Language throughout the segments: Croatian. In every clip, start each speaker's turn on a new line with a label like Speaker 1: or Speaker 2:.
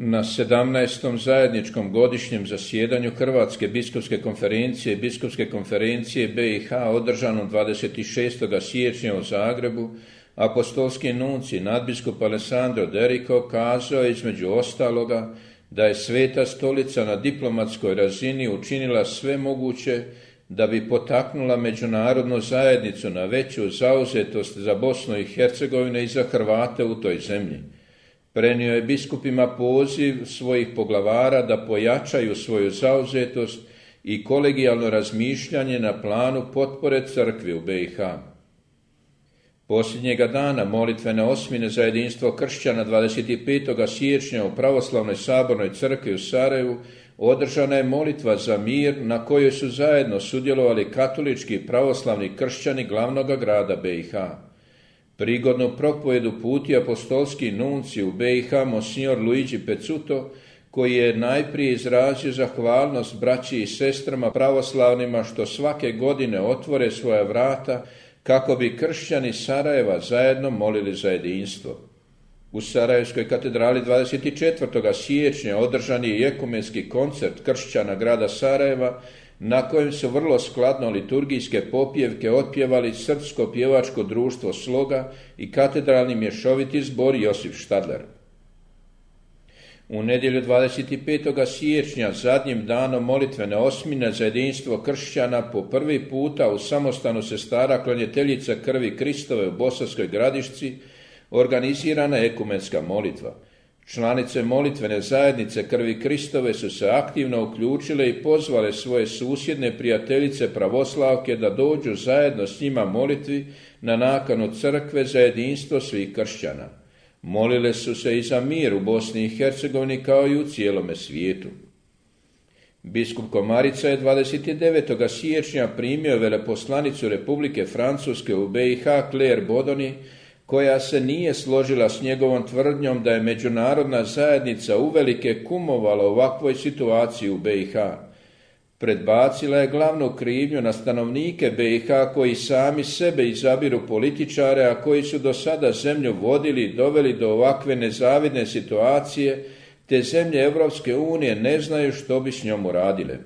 Speaker 1: Na 17. zajedničkom godišnjem zasjedanju Hrvatske biskupske konferencije i Biskupske konferencije BiH održanom 26. siječnja u Zagrebu, apostolski nuncij nadbiskup Alessandro Derico kazao je između ostaloga da je Sveta stolica na diplomatskoj razini učinila sve moguće da bi potaknula međunarodnu zajednicu na veću zauzetost za Bosnu i Hercegovinu i za Hrvate u toj zemlji. Prenio je biskupima poziv svojih poglavara da pojačaju svoju zauzetost i kolegijalno razmišljanje na planu potpore crkvi u BiH. Posljednjega dana molitvene osmine za jedinstvo kršćana 25. siječnja u Pravoslavnoj sabornoj crkvi u Sarajevu održana je molitva za mir na kojoj su zajedno sudjelovali katolički i pravoslavni kršćani glavnog grada BiH. Prigodnu propovedu puti apostolski nuncij u BiH monsignor Luigi Pezzuto, koji je najprije izrazio zahvalnost braći i sestrama pravoslavnima što svake godine otvore svoja vrata kako bi kršćani Sarajeva zajedno molili za jedinstvo. U Sarajevskoj katedrali 24. siječnja održan je ekumenski koncert kršćana grada Sarajeva, na kojem su vrlo skladno liturgijske popjevke otpjevali Srpsko pjevačko društvo Sloga i katedralni mješoviti zbor Josip Štadler. U nedjelju 25. siječnja, zadnjim danom molitvene osmine za jedinstvo kršćana, po prvi puta u samostanu sestara klanjateljica krvi Kristove u Bosanskoj Gradišci organizirana je ekumenska molitva. Članice molitvene zajednice krvi Kristove su se aktivno uključile i pozvale svoje susjedne prijateljice pravoslavke da dođu zajedno s njima molitvi na nakanu crkve za jedinstvo svih kršćana. Molile su se i za mir u Bosni i Hercegovini kao i u cijelome svijetu. Biskup Komarica je 29. siječnja primio veleposlanicu Republike Francuske u BiH Claire Bodoni, koja se nije složila s njegovom tvrdnjom da je međunarodna zajednica uvelike kumovala ovakvoj situaciji u BiH. Predbacila je glavnu krivnju na stanovnike BiH koji sami sebe izabiru političare, a koji su do sada zemlju vodili i doveli do ovakve nezavidne situacije, te zemlje Europske unije ne znaju što bi s njom uradile.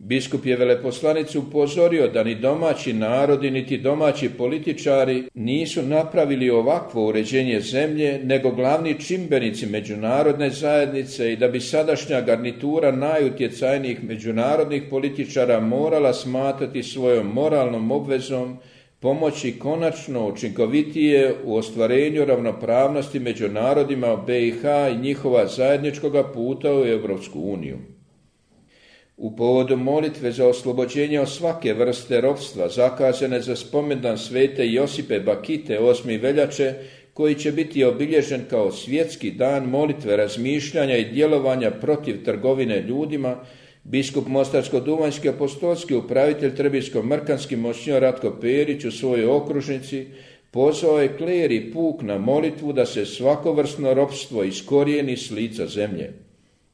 Speaker 1: Biskup je veleposlanicu upozorio da ni domaći narodi, niti domaći političari nisu napravili ovakvo uređenje zemlje, nego glavni čimbenici međunarodne zajednice i da bi sadašnja garnitura najutjecajnijih međunarodnih političara morala smatrati svojom moralnom obvezom pomoći konačno učinkovitije u ostvarenju ravnopravnosti među narodima BiH i njihova zajedničkoga puta u Europsku uniju. U povodu molitve za oslobođenje od svake vrste ropstva zakazane za spomendan svete Josipe Bakite 8. veljače, koji će biti obilježen kao svjetski dan molitve, razmišljanja i djelovanja protiv trgovine ljudima, biskup Mostarsko-duvanjski apostolski upravitelj Trebinsko-mrkanski monsignor Ratko Perić u svojoj okružnici pozvao je kler i puk na molitvu da se svakovrsno ropstvo iskorijeni s lica zemlje.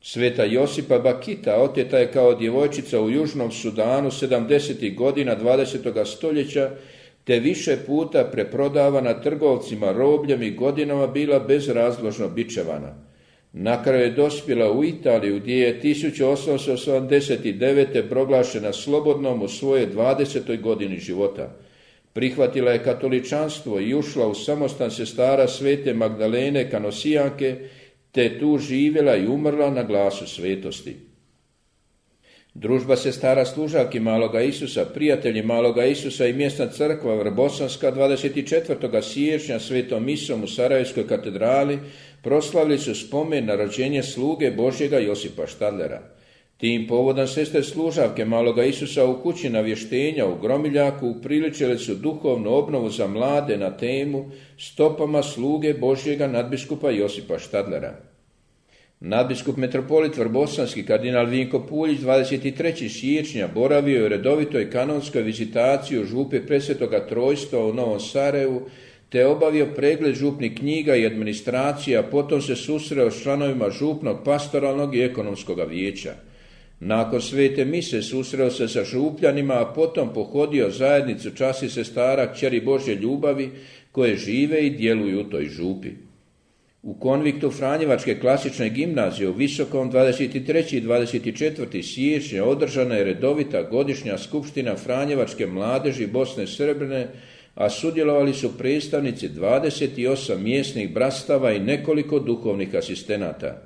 Speaker 1: Sveta Josipa Bakita oteta je kao djevojčica u Južnom Sudanu 70. godina 20. stoljeća, te više puta preprodavana trgovcima robljem i godinama bila bezrazložno bičevana. Na kraju je dospjela u Italiju, gdje je 1889. proglašena slobodnom u svojoj 20. godini života. Prihvatila je katoličanstvo i ušla u samostan sestara svete Magdalene Kanosijanke, te tu živjela i umrla na glasu svetosti. Družba sestara služavki Maloga Isusa, prijatelji Maloga Isusa i mjesna crkva Vrbosanska 24. siječnja svetom misom u Sarajevskoj katedrali proslavili su spomen na rođenje sluge Božjega Josipa Štadlera. Tim povodom sestre služavke Maloga Isusa u kući navještenja u Gromiljaku upriličile su duhovnu obnovu za mlade na temu Stopama sluge Božjega nadbiskupa Josipa Štadlera. Nadbiskup metropolit Vrbosanski kardinal Vinko Puljić 23. siječnja boravio je u redovitoj kanonskoj vizitaciji u župi Presvetoga Trojstva u Novom Sarajevu, te obavio pregled župnih knjiga i administracija, potom se susreo s članovima župnog pastoralnog i ekonomskog vijeća. Nakon svete mise susreo se sa župljanima, a potom pohodio zajednicu časti sestara kćeri Božje ljubavi koje žive i djeluju u toj župi. U konviktu Franjevačke klasične gimnazije u Visokom 23. i 24. siječnja održana je redovita godišnja skupština Franjevačke mladeži Bosne Srbine, a sudjelovali su predstavnici 28 mjesnih brastava i nekoliko duhovnih asistenata.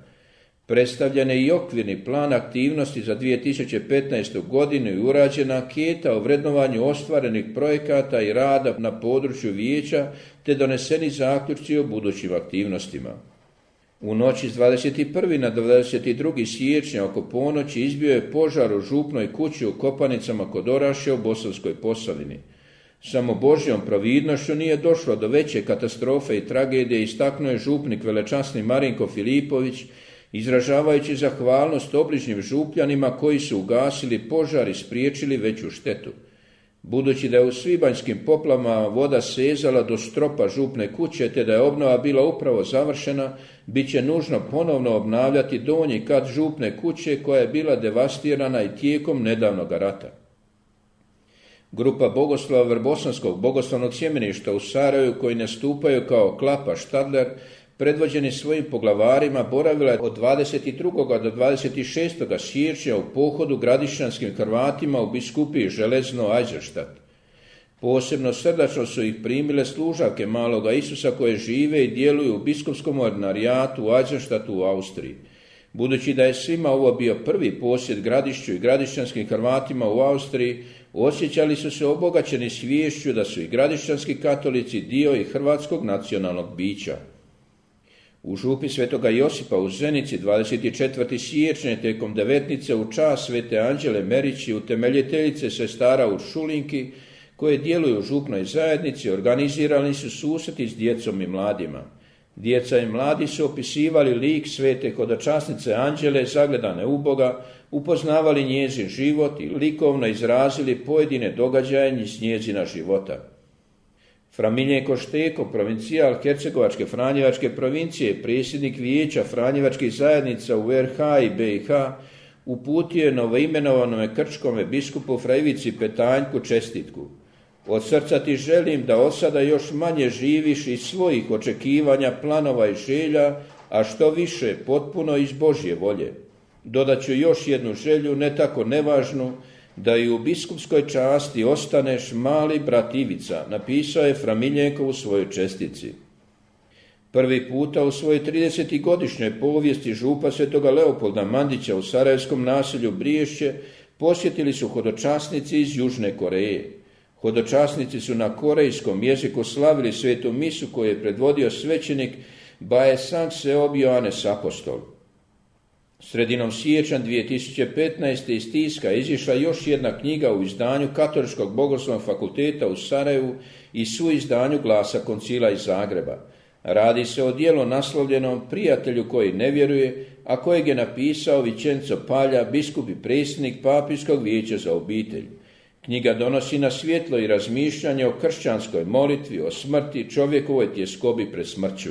Speaker 1: Predstavljen je i okvirni plan aktivnosti za 2015. godinu i urađena anketa o vrednovanju ostvarenih projekata i rada na području vijeća te doneseni zaključci o budućim aktivnostima. U noći s 21. na 22. siječnja oko ponoći izbio je požar u župnoj kući u Kopanicama kod Orašja u Bosanskoj Posavini. Samo Božjom providnošću nije došlo do veće katastrofe i tragedije, istaknuo je župnik velečasni Marinko Filipović, izražavajući zahvalnost obližnjim župljanima koji su ugasili požar i spriječili veću štetu. Budući da je u svibanjskim poplavama voda sezala do stropa župne kuće te da je obnova bila upravo završena, bit će nužno ponovno obnavljati donji kat župne kuće koja je bila devastirana i tijekom nedavnog rata. Grupa bogoslova Vrbosanskog bogoslovnog sjemeništa u Sarajevu, koji nastupaju kao Klapa Štadler, predvođeni svojim poglavarima, boravila je od 22. do 26. siječnja u pohodu gradišćanskim Hrvatima u biskupiji Železno Eisenstadt. Posebno srdačno su ih primile služavke Maloga Isusa koje žive i djeluju u biskupskom ordinarijatu u Eisenstadtu u Austriji. Budući da je svima ovo bio prvi posjet Gradišću i gradišćanskim Hrvatima u Austriji, osjećali su se obogaćeni sviješću da su i gradišćanski katolici dio i hrvatskog nacionalnog bića. U župi Svetoga Josipa u Zenici 24. siječnja tijekom devetnice u čast Svete Anđele Merići, utemeljiteljice sestara u Šulinki, koje djeluju u župnoj zajednici, organizirani su susreti s djecom i mladima. Djeca i mladi su opisivali lik svete hodočasnice Anđele zagledane u Boga, upoznavali njezin život i likovno izrazili pojedine događaje iz njezina života. Fra Miljenko Šteko, provincijal Hercegovačke Franjevačke provincije, predsjednik vijeća Franjevačkih zajednica u RH i BiH, uputio je novoimenovanome krčkome biskupu fra Ivici Petanjku čestitku. Od srca ti želim da od sada još manje živiš iz svojih očekivanja, planova i želja, a što više potpuno iz Božje volje. Dodat ću još jednu želju, ne tako nevažnu, da i u biskupskoj časti ostaneš mali brat Ivica, napisao je fra Miljenko u svojoj čestici. Prvi puta u svojoj 30-godišnjoj povijesti župa Svetoga Leopolda Mandića u sarajevskom naselju Briješće posjetili su hodočasnici iz Južne Koreje. Hodočasnici su na korejskom jeziku slavili svetu misu koju je predvodio svećenik Baesang Seob Joanes Apostol. Sredinom siječnja 2015. iz tiska izišla još jedna knjiga u izdanju Katoličkog bogoslovnog fakulteta u Sarajevu i suizdanju Glasa koncila iz Zagreba. Radi se o djelu naslovljenom Prijatelju koji ne vjeruje, a kojeg je napisao Vicenzo Palja, biskup i predsjednik Papijskog vijeća za obitelj. Knjiga donosi na svjetlo i razmišljanje o kršćanskoj molitvi, o smrti, čovjekovoj tjeskobi pred smrću.